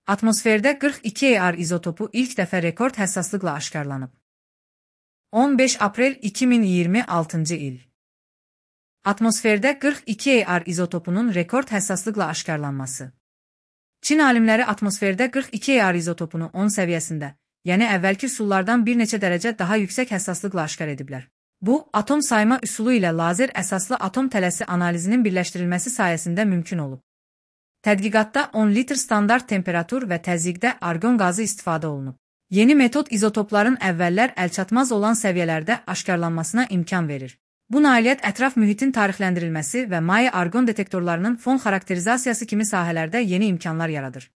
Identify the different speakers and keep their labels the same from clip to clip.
Speaker 1: Atmosferdə 42 Ar izotopu ilk dəfə rekord həssaslıqla aşkarlanıb. 15 aprel 2026 il. Atmosferdə 42 Ar izotopunun rekord həssaslıqla aşkarlanması. Çin alimləri atmosferdə 42 Ar izotopunu 10 səviyyəsində, yəni əvvəlki üsullardan bir neçə dərəcə daha yüksək həssaslıqla aşkar ediblər. Bu, atom sayma üsulu ilə lazer əsaslı atom tələsi analizinin birləşdirilməsi sayəsində mümkün olub. Tədqiqatda 10 litr standart temperatur və təzyiqdə argon qazı istifadə olunub. Yeni metod izotopların əvvəllər əlçatmaz olan səviyyələrdə aşkarlanmasına imkan verir. Bu nailiyyət ətraf mühitin tarixləndirilməsi və Maye argon detektorlarının fon xarakterizasiyası kimi sahələrdə yeni imkanlar yaradır.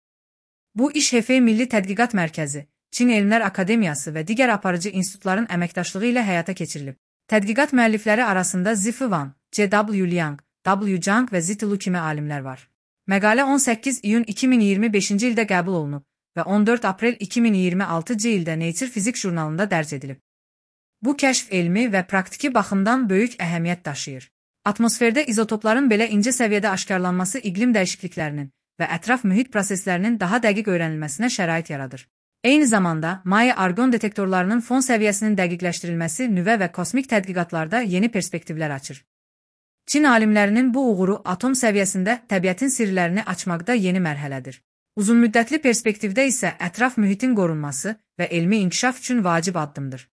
Speaker 1: Bu iş Hefei Milli Tədqiqat Mərkəzi, Çin Elmlər Akademiyası və digər aparıcı institutların əməkdaşlığı ilə həyata keçirilib. Tədqiqat müəllifləri arasında Zifu Wang, C.W. Liang, W. Zhang və Ziti Lu kimi alimlər var. Məqalə 18 iyun 2025-ci ildə qəbul olunub və 14 aprel 2026-cı ildə Nature Physics jurnalında dərc edilib. Bu kəşf elmi və praktiki baxımdan böyük əhəmiyyət daşıyır. Atmosferdə izotopların belə incə səviyyədə aşkarlanması iqlim dəyişikliklərinin və ətraf mühit proseslərinin daha dəqiq öyrənilməsinə şərait yaradır. Eyni zamanda, Maye argon detektorlarının fon səviyyəsinin dəqiqləşdirilməsi nüvə və kosmik tədqiqatlarda yeni perspektivlər açır. Çin alimlərinin bu uğuru atom səviyyəsində təbiətin sirlərini açmaqda yeni mərhələdir. Uzunmüddətli perspektivdə isə ətraf mühitin qorunması və elmi inkişaf üçün vacib addımdır.